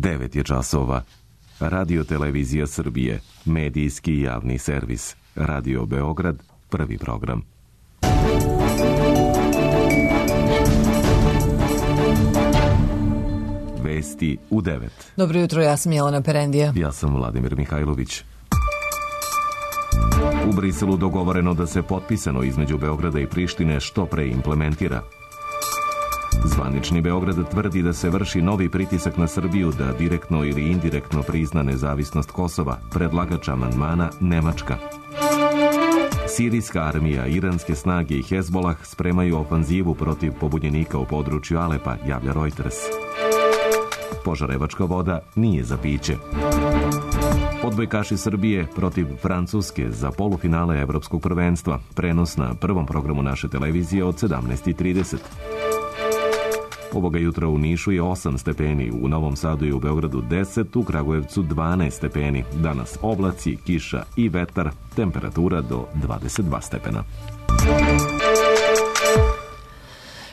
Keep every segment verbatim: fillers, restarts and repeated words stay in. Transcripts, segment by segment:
devet je časova. Radio Televizija Srbije, medijski javni servis. Radio Beograd, prvi program. Vesti u devet. Dobro jutro, ja sam Jelena Perendija. Ja sam Vladimir Mihajlović. U Briselu dogovoreno da se potpisano između Beograda i Prištine što pre implementira. Zvanični Beograd tvrdi da se vrši novi pritisak na Srbiju da direktno ili indirektno prizna nezavisnost Kosova, predlagač amandmana Nemačka. Sirijska armija, iranske snage i Hezbolah spremaju ofanzivu protiv pobunjenika u području Alepa, javlja Reuters. Požarevačka voda nije za piće. Odbojkaši Srbije protiv Francuske za polufinale Evropskog prvenstva. Prenos na prvom programu naše televizije od sedamnaest i trideset. Ovoga jutra u Nišu je osam stepeni, u Novom Sadu i u Beogradu deset, u Kragujevcu dvanaest stepeni. Danas oblaci, kiša i vetar, temperatura do dvadeset dva stepena.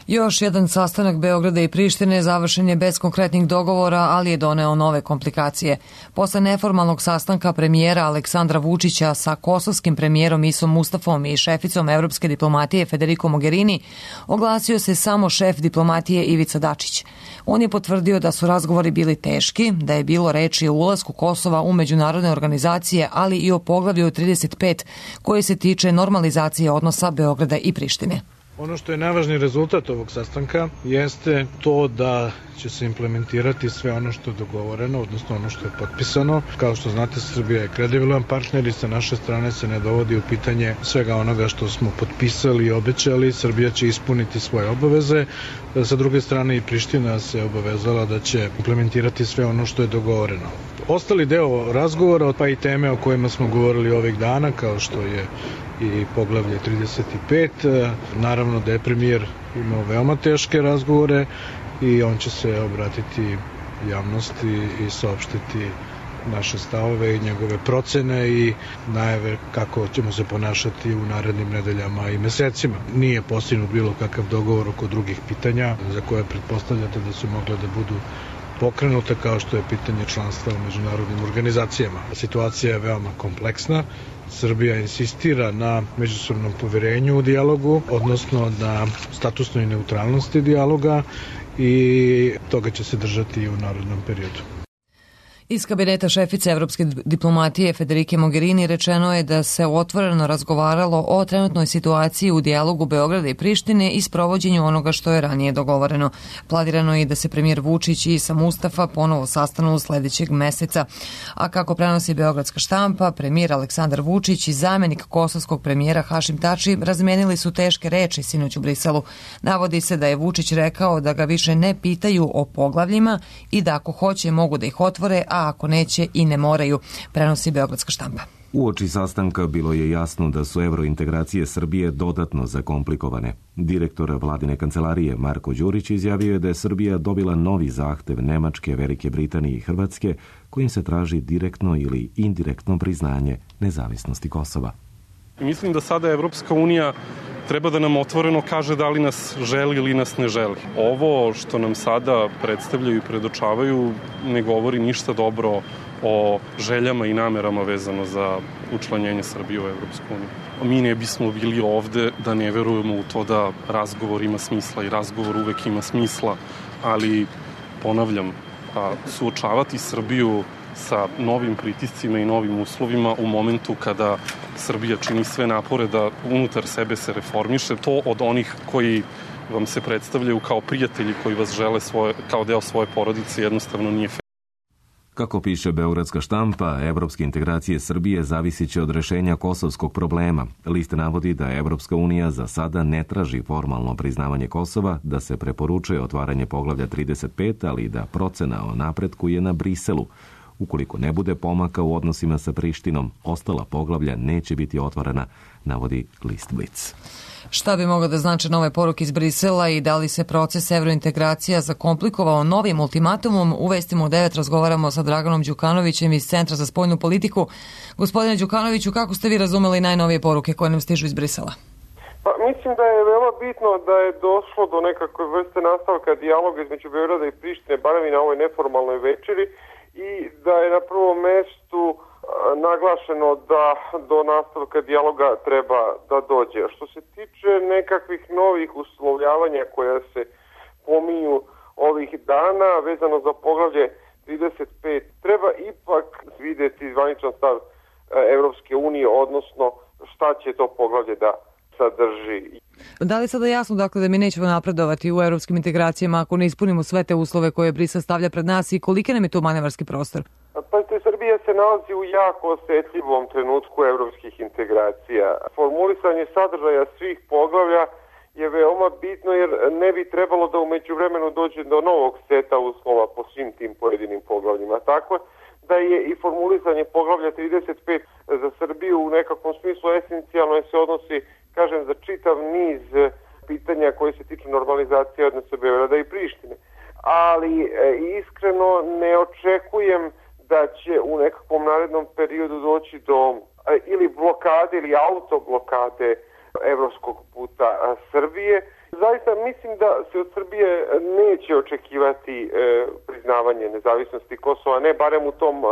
Još jedan sastanak Beograda i Prištine završen je bez konkretnih dogovora, ali je doneo nove komplikacije. Posle neformalnog sastanka premijera Aleksandra Vučića sa kosovskim premijerom Isom Mustafom i šeficom evropske diplomatije Federico Mogherini, oglasio se samo šef diplomatije Ivica Dačić. On je potvrdio da su razgovori bili teški, da je bilo reči o ulasku Kosova u međunarodne organizacije, ali i o poglavlju trideset pet koji se tiče normalizacije odnosa Beograda i Prištine. Ono što je najvažniji rezultat ovog sastanka jeste to da će se implementirati sve ono što je dogovoreno, odnosno ono što je potpisano. Kao što znate, Srbija je kredibilan partner i sa naše strane se ne dovodi u pitanje svega onoga što smo potpisali i obećali. Srbija će ispuniti svoje obaveze. Sa druge strane i Priština se obavezala da će implementirati sve ono što je dogovoreno. Ostali deo razgovora, pa i teme o kojima smo govorili ovih dana, kao što je i poglavlje trideset pet. Naravno da je premijer imao veoma teške razgovore i on će se obratiti javnosti i saopštiti naše stavove i njegove procene i najave kako ćemo se ponašati u narednim nedeljama i mesecima. Nije postignut bilo kakav dogovor oko drugih pitanja za koje pretpostavljate da su mogle da budu pokrenuta, kao što je pitanje članstva u međunarodnim organizacijama. Situacija je veoma kompleksna. Srbija insistira na međusobnom poverenju u dijalogu, odnosno na statusnoj neutralnosti dijaloga i toga će se držati i u narednom periodu. Iz kabineta šefice evropske diplomatije Federike Mogherini rečeno je da se otvoreno razgovaralo o trenutnoj situaciji u dijalogu Beograda i Prištine i sprovođenju onoga što je ranije dogovoreno. Planirano je da se premijer Vučić i Isa Mustafa ponovo sastanu sledećeg meseca. A kako prenosi beogradska štampa, premijer Aleksandar Vučić i zamenik kosovskog premijera Hašim Tači razmenili su teške reči sinoć u Briselu. Navodi se da je Vučić rekao da ga više ne pitaju o poglavljima i da ako hoće mogu da ih otvore, a ako neće i ne moraju, prenosi beogradska štampa. Uoči sastanka bilo je jasno da su evrointegracije Srbije dodatno zakomplikovane. Direktor vladine kancelarije Marko Đurić izjavio je da je Srbija dobila novi zahtev Nemačke, Velike Britanije i Hrvatske, kojim se traži direktno ili indirektno priznanje nezavisnosti Kosova. Mislim da sada Evropska unija treba da nam otvoreno kaže da li nas želi ili nas ne želi. Ovo što nam sada predstavljaju i predočavaju ne govori ništa dobro o željama i namerama vezano za učlanjenje Srbije u Evropsku uniju. Mi ne bismo bili ovde da ne verujemo u to da razgovor ima smisla i razgovor uvek ima smisla, ali ponavljam, suočavati Srbiju sa novim pritiscima i novim uslovima u momentu kada Srbija čini sve napore da unutar sebe se reformiše, to od onih koji vam se predstavljaju kao prijatelji koji vas žele svoje, kao deo svoje porodice jednostavno nije fair. Kako piše beogradska štampa, evropske integracije Srbije zavisit će od rešenja kosovskog problema. List navodi da Evropska unija za sada ne traži formalno priznavanje Kosova, da se preporučuje otvaranje poglavlja trideset pet, ali i da procena o napretku je na Briselu. Ukoliko ne bude pomaka u odnosima sa Prištinom, ostala poglavlja neće biti otvorena, navodi list Blic. Šta bi moglo da znače nove poruke iz Brisela i da li se proces evrointegracija zakomplikovao novim ultimatumom? U vestima u devet razgovaramo sa Draganom Đukanovićem iz Centra za spoljnu politiku. Gospodine Đukanoviću, kako ste vi razumeli najnovije poruke koje nam stižu iz Brisela? Pa, mislim da je veoma bitno da je došlo do nekakve vrste nastavka dijaloga između Beograda i Prištine, barem i na ovoj neformalnoj večeri, i da je na prvom mestu a, naglašeno da do nastavka dijaloga treba da dođe. Što se tiče nekakvih novih uslovljavanja koja se pominju ovih dana vezano za poglavlje trideset pet, treba ipak vidjeti zvaničan stav Evropske unije, odnosno šta će to poglavlje da sadrži. Da li je sada jasno dakle, da mi nećemo napredovati u evropskim integracijama ako ne ispunimo sve te uslove koje Brisel stavlja pred nas i koliki nam je tu manevarski prostor? Pa te Srbija se nalazi u jako osjetljivom trenutku evropskih integracija. Formulisanje sadržaja svih poglavlja je veoma bitno jer ne bi trebalo da u međuvremenu dođe do novog seta uslova po svim tim pojedinim poglavljima. Tako da je i formulisanje poglavlja trideset pet za Srbiju u nekakvom smislu esencijalno se odnosi, kažem, za čitav niz pitanja koje se tiču normalizacije odnosa Beograda i Prištine. Ali e, iskreno ne očekujem da će u nekakvom narednom periodu doći do e, ili blokade ili autoblokade evropskog puta a, Srbije. Zaista mislim da se od Srbije neće očekivati e, priznavanje nezavisnosti Kosova, ne barem u tom a,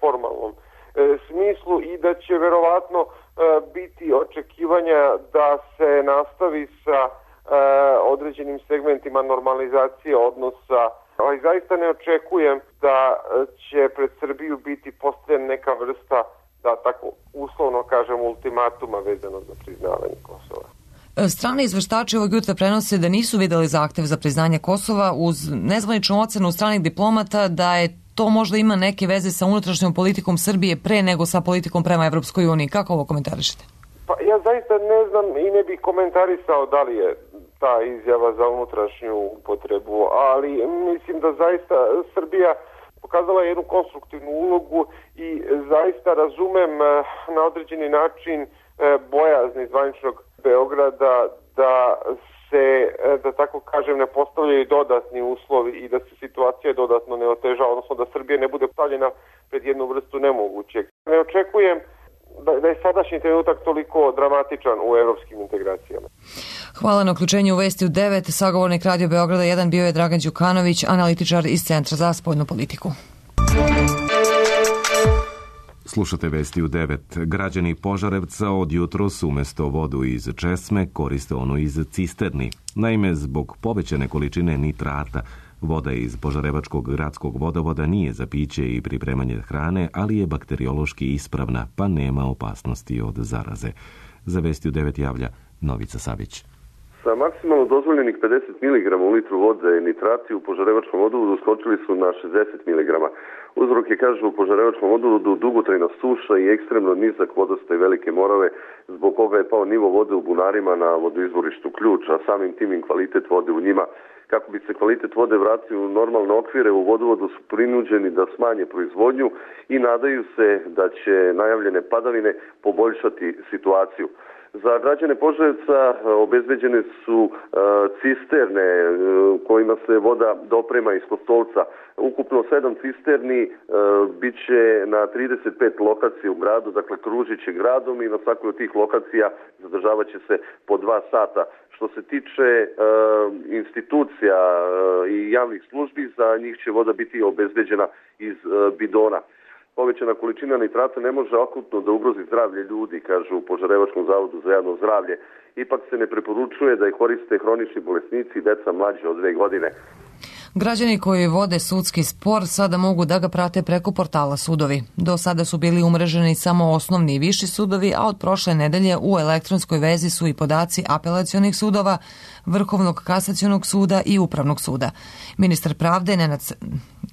formalnom e, smislu, i da će verovatno a, biti očekivanja da se nastavi sa a, određenim segmentima normalizacije odnosa. Ali zaista ne očekujem da će pred Srbiju biti postavljena neka vrsta, da tako uslovno kažem, ultimatuma vezano za priznavanje Kosova. Strane izveštači ovog jutra prenose da nisu videli zahtev za priznanje Kosova uz nezvaničnu ocenu stranih diplomata da je to možda ima neke veze sa unutrašnjom politikom Srbije pre nego sa politikom prema Evropskoj uniji. Kako ovo komentarišete? Pa ja zaista ne znam i ne bih komentarisao da li je ta izjava za unutrašnju upotrebu, ali mislim da zaista Srbija pokazala jednu konstruktivnu ulogu i zaista razumem na određeni način bojazni zvaničnog Beograda da se, da tako kažem, ne postavljaju dodatni uslovi i da se situacija dodatno ne oteža, odnosno da Srbija ne bude stavljena pred jednu vrstu nemogućeg. Ne očekujem da je sadašnji trenutak toliko dramatičan u evropskim integracijama. Hvala na uključenju u Vesti u devet. Sagovornik Radio Beograda jedan bio je Dragan Đukanović, analitičar iz Centra za spoljnu politiku. Slušate Vesti u devet. Građani Požarevca od jutros umesto vodu iz česme koriste onu iz cisterni. Naime, zbog povećane količine nitrata, voda iz Požarevačkog gradskog vodovoda nije za piće i pripremanje hrane, ali je bakteriološki ispravna, pa nema opasnosti od zaraze. Za Vesti u devet javlja Novica Savić. Sa maksimalno dozvoljenih pedeset miligrama u litru vode nitrati u Požarevačkom vodovodu skočili su na šezdeset miligrama. Uzrok je, kažu, u Požarevačkom vodovodu dugotrajna suša i ekstremno nizak vodostaj Velike Morave, zbog koga je pao nivo vode u bunarima na vodoizvorištu Ključ, a samim tim i kvalitet vode u njima. Kako bi se kvalitet vode vratio u normalne okvire, u vodovodu su prinuđeni da smanje proizvodnju i nadaju se da će najavljene padavine poboljšati situaciju. Za građane Požarevca obezbeđene su uh, cisterne uh, kojima se voda doprema iz Kostolca. Ukupno sedam cisterni uh, bit će na trideset pet lokacija u gradu, dakle kružit će gradom i na svakoj od tih lokacija zadržavat će se po dva sata. Što se tiče uh, institucija uh, i javnih službi, za njih će voda biti obezbeđena iz uh, bidona. Povećana količina nitrata ne može akutno da ugrozi zdravlje ljudi, kažu u Požarevačkom zavodu za javno zdravlje. Ipak se ne preporučuje da ih koriste hronični bolesnici i deca mlađe od dve godine. Građani koji vode sudski spor sada mogu da ga prate preko portala Sudovi. Do sada su bili umreženi samo osnovni i viši sudovi, a od prošle nedelje u elektronskoj vezi su i podaci apelacionih sudova, Vrhovnog kasacionog suda i Upravnog suda. Ministar pravde Nenad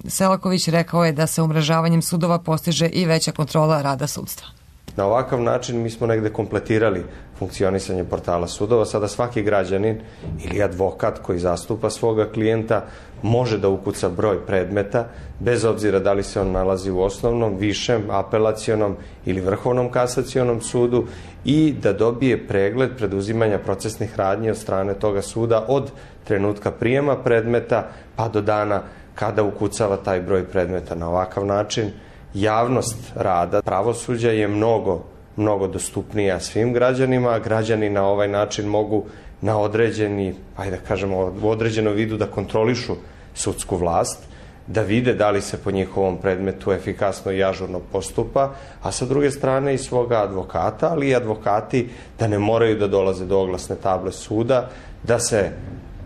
Selaković rekao je da se umrežavanjem sudova postiže i veća kontrola rada sudstva. Na ovakav način mi smo negde kompletirali funkcionisanje portala sudova. Sada svaki građanin ili advokat koji zastupa svoga klijenta može da ukuca broj predmeta, bez obzira da li se on nalazi u osnovnom, višem, apelacionom ili vrhovnom kasacionom sudu, i da dobije pregled preduzimanja procesnih radnji od strane toga suda od trenutka prijema predmeta pa do dana kada ukucava taj broj predmeta. Na ovakav način javnost rada pravosuđa je mnogo mnogo dostupnija svim građanima. Građani na ovaj način mogu na određeni, ajde da kažemo, u određenom vidu da kontrolišu sudsku vlast, da vide da li se po njihovom predmetu efikasno i ažurno postupa, a sa druge strane i svoga advokata, ali i advokati da ne moraju da dolaze do oglasne table suda, da se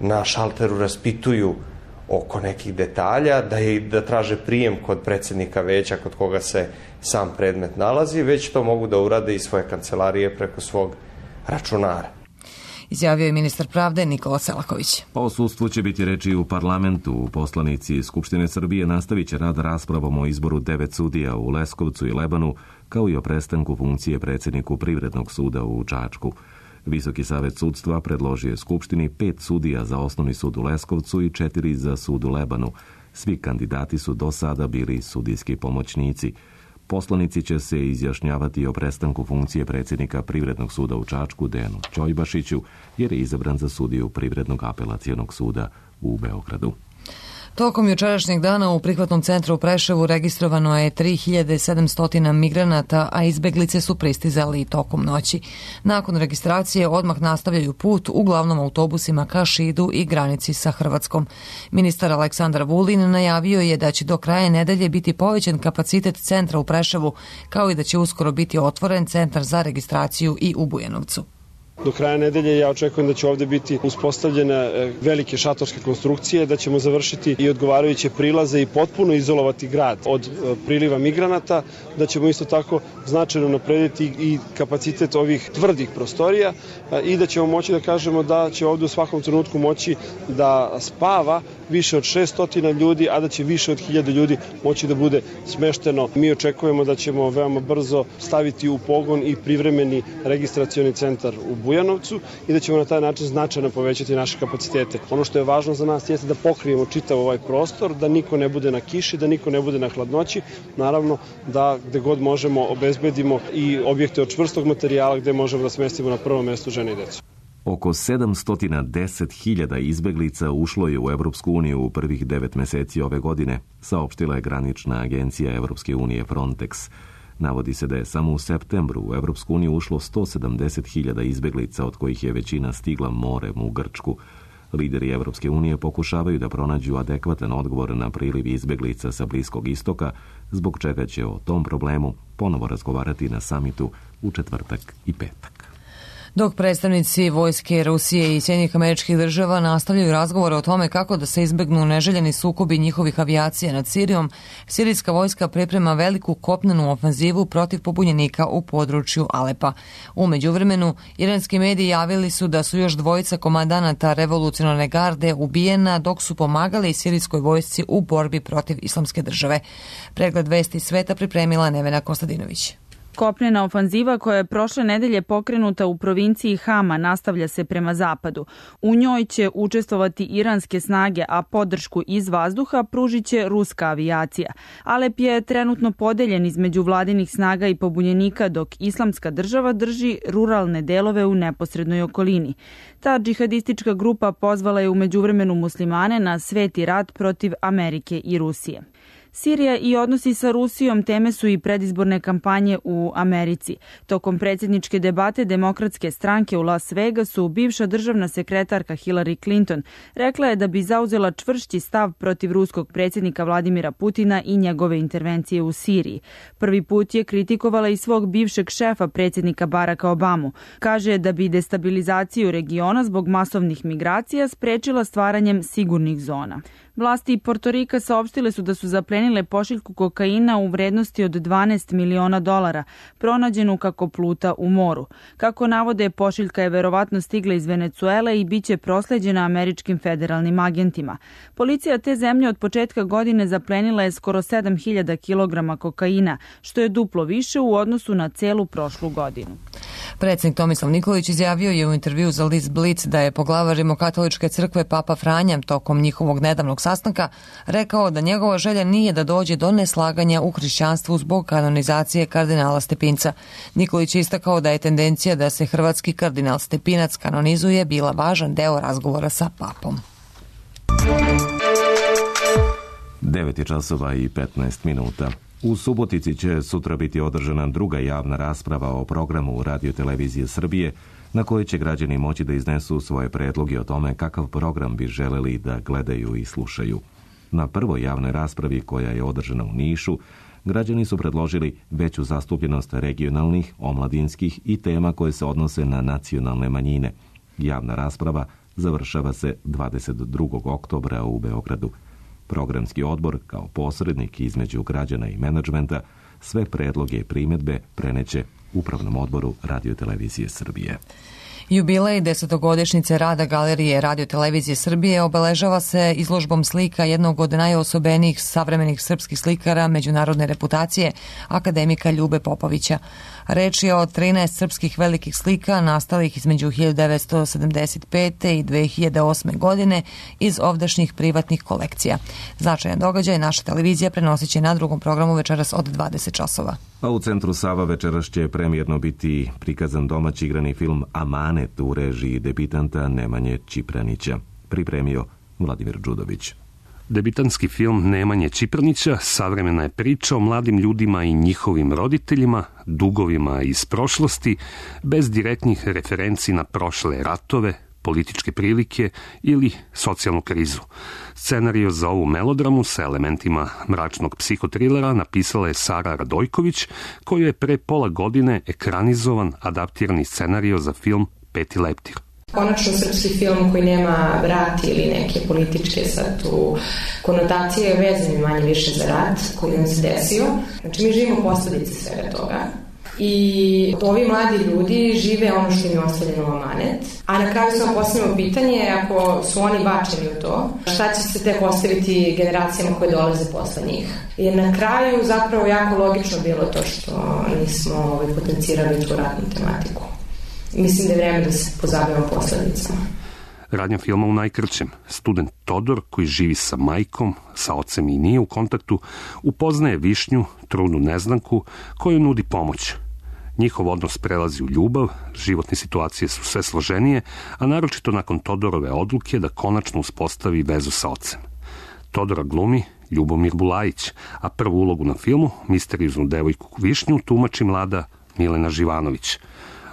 na šalteru raspituju oko nekih detalja, da, je, da traže prijem kod predsednika veća kod koga se sam predmet nalazi, već to mogu da urade iz svoje kancelarije preko svog računara. Izjavio je ministar pravde Nikola Selaković. O sudstvu će biti reči u parlamentu. Poslanici Skupštine Srbije nastavit će rad raspravom o izboru devet sudija u Leskovcu i Lebanu, kao i o prestanku funkcije predsjedniku Privrednog suda u Čačku. Visoki savet sudstva predložio je Skupštini pet sudija za Osnovni sud u Leskovcu i četiri za sud u Lebanu. Svi kandidati su do sada bili sudijski pomoćnici. Poslanici će se izjašnjavati o prestanku funkcije predsjednika Privrednog suda u Čačku Dejanu Ćojbašiću, jer je izabran za sudiju Privrednog apelacionog suda u Beogradu. Tokom jučerašnjeg dana u prihvatnom centru u Preševu registrovano je tri hiljade sedamsto migranata, a izbeglice su pristizali i tokom noći. Nakon registracije odmah nastavljaju put uglavnom autobusima ka Šidu i granici sa Hrvatskom. Ministar Aleksandar Vulin najavio je da će do kraja nedelje biti povećan kapacitet centra u Preševu, kao i da će uskoro biti otvoren centar za registraciju i u Bujanovcu. Do kraja nedelje ja očekujem da će ovde biti uspostavljene velike šatorske konstrukcije, da ćemo završiti i odgovarajuće prilaze i potpuno izolovati grad od priliva migranata, da ćemo isto tako značajno naprediti i kapacitet ovih tvrdih prostorija i da ćemo moći da kažemo da će ovde u svakom trenutku moći da spava više od šesto ljudi, a da će više od hiljade ljudi moći da bude smešteno. Mi očekujemo da ćemo veoma brzo staviti u pogon i privremeni registracioni centar u Bujanovcu i da ćemo na taj način značajno povećati naše kapacitete. Ono što je važno za nas jeste da pokrijemo čitav ovaj prostor, da niko ne bude na kiši, da niko ne bude na hladnoći. Naravno da gde god možemo obezbedimo i objekte od čvrstog materijala gde možemo da smestimo na prvom mestu žene i decu. Oko sedamsto deset hiljada izbeglica ušlo je u Evropsku uniju u prvih devet meseci ove godine, saopštila je granična agencija Evropske unije Frontex. Navodi se da je samo u septembru u Evropsku uniju ušlo sto sedamdeset hiljada izbeglica, od kojih je većina stigla morem u Grčku. Lideri Evropske unije pokušavaju da pronađu adekvatan odgovor na priliv izbeglica sa Bliskog istoka, zbog čega će o tom problemu ponovo razgovarati na samitu u četvrtak i petak. Dok predstavnici vojske Rusije i Sjedinjenih Američkih Država nastavljaju razgovore o tome kako da se izbegnu neželjeni sukobi njihovih avijacija nad Sirijom, sirijska vojska priprema veliku kopnenu ofenzivu protiv pobunjenika u području Alepa. U međuvremenu, iranski mediji javili su da su još dvojica komandanata revolucionarne garde ubijena dok su pomagali sirijskoj vojsci u borbi protiv Islamske države. Pregled vesti sveta pripremila Nevena Kostadinović. Kopnena ofanziva koja je prošle nedelje pokrenuta u provinciji Hama nastavlja se prema zapadu. U njoj će učestvovati iranske snage, a podršku iz vazduha pružit će ruska avijacija. Alep je trenutno podeljen između vladinih snaga i pobunjenika, dok Islamska država drži ruralne delove u neposrednoj okolini. Ta džihadistička grupa pozvala je u međuvremenu muslimane na sveti rat protiv Amerike i Rusije. Sirija i odnosi sa Rusijom teme su i predizborne kampanje u Americi. Tokom predsjedničke debate Demokratske stranke u Las Vegasu, bivša državna sekretarka Hillary Clinton rekla je da bi zauzela čvršći stav protiv ruskog predsjednika Vladimira Putina i njegove intervencije u Siriji. Prvi put je kritikovala i svog bivšeg šefa predsjednika Baracka Obamu. Kaže da bi destabilizaciju regiona zbog masovnih migracija sprečila stvaranjem sigurnih zona. Vlasti Portorika saopštile su da su zaplenile pošiljku kokaina u vrednosti od dvanaest miliona dolara, pronađenu kako pluta u moru. Kako navode, pošiljka je verovatno stigla iz Venecuele i biće prosleđena američkim federalnim agentima. Policija te zemlje od početka godine zaplenila je skoro sedam hiljada kilograma kokaina, što je duplo više u odnosu na celu prošlu godinu. Predsjednik Tomislav Nikolić izjavio je u intervju za list Blic da je poglavar Rimokatoličke crkve Papa Franja tokom njihovog nedavnog sastanka rekao da njegova želja nije da dođe do neslaganja u hrišćanstvu zbog kanonizacije kardinala Stepinca. Nikolić je istakao da je tendencija da se hrvatski kardinal Stepinac kanonizuje bila važan deo razgovora sa papom. devet časova i petnaest minuta. U Subotici će sutra biti održana druga javna rasprava o programu Radio-televizije Srbije, na kojoj će građani moći da iznesu svoje predloge o tome kakav program bi želeli da gledaju i slušaju. Na prvoj javnoj raspravi, koja je održana u Nišu, građani su predložili veću zastupljenost regionalnih, omladinskih i tema koje se odnose na nacionalne manjine. Javna rasprava završava se dvadeset drugog oktobra u Beogradu. Programski odbor, kao posrednik između građana i menadžmenta, sve predloge i primjedbe preneće Upravnom odboru Radio-televizije Srbije. Jubilej desetogodišnjice rada Galerije Radio-televizije Srbije obeležava se izložbom slika jednog od najosobenijih savremenih srpskih slikara međunarodne reputacije, akademika Ljube Popovića. Reč je o trinaest srpskih velikih slika nastalih između hiljadu devetsto sedamdeset pete i dve hiljade osme. godine iz ovdašnjih privatnih kolekcija. Značajan događaj naša televizija prenosit će na drugom programu večeras od dvadeset časova. A u centru Sava večeras će premijerno biti prikazan domaći igrani film Amanet u režiji debitanta Nemanje Čipranića. Pripremio Vladimir Đudović. Debitanski film Nemanje Čipranića savremena je priča o mladim ljudima i njihovim roditeljima, dugovima iz prošlosti, bez direktnih referenci na prošle ratove, političke prilike ili socijalnu krizu. Scenario za ovu melodramu sa elementima mračnog psihotrilera napisala je Sara Radojković, koju je pre pola godine ekranizovan adaptirani scenario za film Peti leptir. Konačno srpski film koji nema rat ili neke političke sad tu konotacije vezane manje više za rat koji nam se desio. Znači mi živimo posljedice svega toga. I ovi mladi ljudi žive ono što im je ostavljeno u amanet. A na kraju samo postavljamo pitanje, ako su oni bačeni u to, šta će se tek ostaviti generacijama koje dolaze posle njih. Jer na kraju zapravo jako logično bilo to što nismo ovaj, potencirali tu ratnu tematiku. Mislim da je vreme da se pozabavimo posledicama. Radnja filma u najkraćem. Student Todor, koji živi sa majkom, sa ocem i nije u kontaktu, upoznaje Višnju, trudnu neznanku, koju nudi pomoć. Njihov odnos prelazi u ljubav, životne situacije su sve složenije, a naročito nakon Todorove odluke da konačno uspostavi vezu sa ocem. Todora glumi Ljubomir Bulajić, a prvu ulogu na filmu, misterioznu devojku Višnju, tumači mlada Milena Živanović.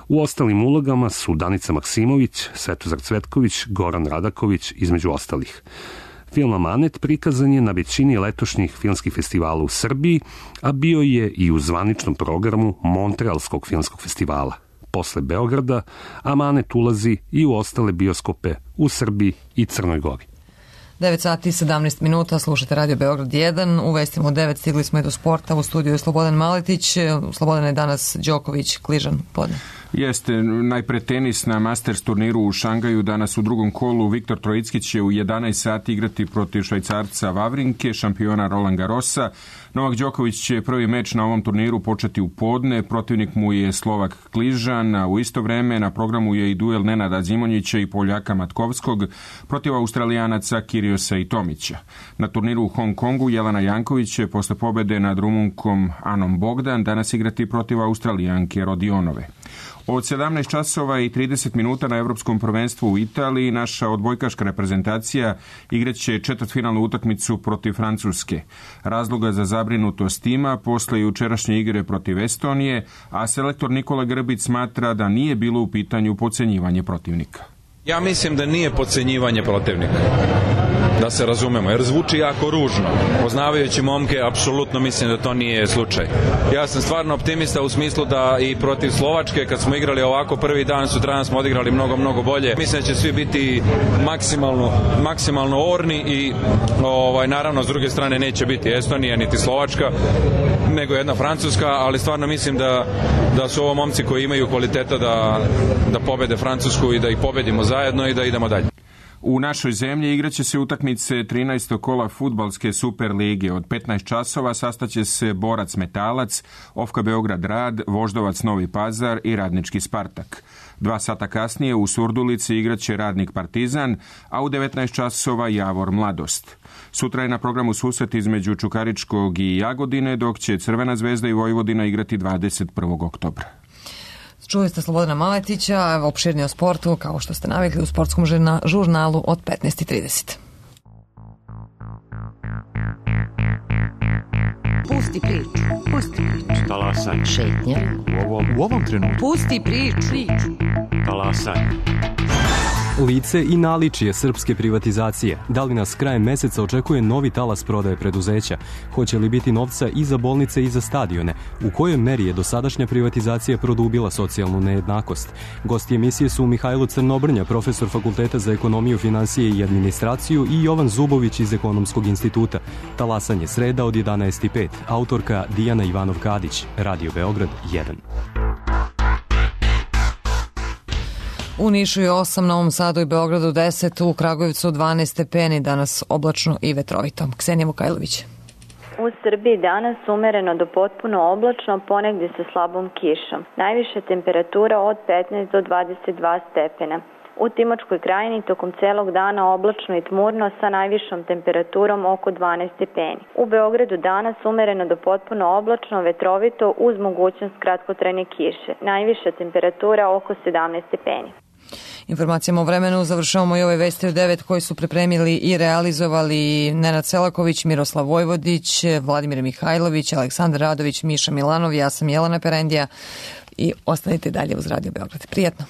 U ostalim ulogama su Danica Maksimović, Svetozar Cvetković, Goran Radaković, između ostalih. Film Amanet prikazan je na većini letošnjih filmskih festivala u Srbiji, a bio je i u zvaničnom programu Montrealskog filmskog festivala. Posle Beograda, Amanet ulazi i u ostale bioskope u Srbiji i Crnoj Gori. devet sati i sedamnaest minuta, slušate Radio Beograd jedan, u vestima u devet stigli smo i do sporta, u studiju je Slobodan Maletić. Slobodan je danas Đoković, Kližan, podne. Jeste, najpre tenis na Masters turniru u Šangaju. Danas u drugom kolu Viktor Trojicki će u jedanaest sati igrati protiv Švajcarca Vavrinke, šampiona Roland Garrosa. Novak Đoković će prvi meč na ovom turniru početi u podne, protivnik mu je Slovak Kližan, a u isto vreme na programu je i duel Nenada Zimonjića i Poljaka Matkovskog protiv Australijanaca Kiriosa i Tomića. Na turniru u Hong Kongu Jelena Janković će posle pobede nad Rumunkom Anom Bogdan danas igrati protiv Australijanke Rodionove. Od sedamnaest časova i trideset minuta na Evropskom prvenstvu u Italiji naša odbojkaška reprezentacija igraće četvrtfinalnu utakmicu protiv Francuske. Razloga za zabrinutost ima posle jučerašnje igre protiv Estonije, a selektor Nikola Grbić smatra da nije bilo u pitanju podcenjivanje protivnika. Ja mislim da nije podcenjivanje protivnika, da se razumemo, jer zvuči jako ružno. Poznavajući momke, apsolutno mislim da to nije slučaj. Ja sam stvarno optimista u smislu da i protiv Slovačke, kad smo igrali ovako prvi dan, sutradan smo odigrali mnogo, mnogo bolje. Mislim da će svi biti maksimalno, maksimalno orni i ovaj, naravno s druge strane neće biti Estonija niti Slovačka, nego jedna Francuska, ali stvarno mislim da, da su ovo momci koji imaju kvaliteta da, da pobede Francusku i da ih pobedimo zajedno i da idemo dalje. U našoj zemlji igraće se utakmice trinaestog kola fudbalske Super lige. Od petnaest časova sastaće se Borac Metalac, Ofka Beograd Rad, Voždovac Novi Pazar i Radnički Spartak. Dva sata kasnije u Surdulici igraće Radnik Partizan, a u devetnaest časova Javor Mladost. Sutra je na programu susret između Čukaričkog i Jagodine, dok će Crvena zvezda i Vojvodina igrati dvadeset prvog oktobra. Čuli ste Slobodana Maletića, opširnije o sportu, kao što ste navikli u sportskom žurnalu od petnaest i trideset. Pusti priču. Pusti priču. Talasaj. Šetnja. U ovom, u ovom trenutku. Pusti priču. Talasaj. Lice i naličije srpske privatizacije. Da li nas krajem meseca očekuje novi talas prodaje preduzeća? Hoće li biti novca i za bolnice i za stadione? U kojoj meri je dosadašnja privatizacija produbila socijalnu nejednakost? Gosti emisije su Mihajlo Crnobrnja, profesor Fakulteta za ekonomiju, finansije i administraciju, i Jovan Zubović iz Ekonomskog instituta. Talasanje sreda od jedanaest i pet. Autorka Dijana Ivanov-Kadić. Radio Beograd jedan. U Nišu je osam, Novom Sadu i Beogradu deset, u Kragujevcu dvanaest stepeni, danas oblačno i vetrovito. Ksenija Vukajlović. U Srbiji danas umereno do potpuno oblačno, ponegdje sa slabom kišom. Najviša temperatura od petnaest do dvadeset dva stepena. U Timočkoj krajini tokom celog dana oblačno i tmurno sa najvišom temperaturom oko dvanaest stepeni. U Beogradu danas umereno do potpuno oblačno, vetrovito uz mogućnost kratkotrajne kiše. Najviša temperatura oko sedamnaest stepeni. Informacijama o vremenu završavamo i ove vesti od devet koji su pripremili i realizovali Nenad Selaković, Miroslav Vojvodić, Vladimir Mihajlović, Aleksandar Radović, Miša Milanov, ja sam Jelena Perendija i ostanite dalje uz Radio Beograd. Prijatno!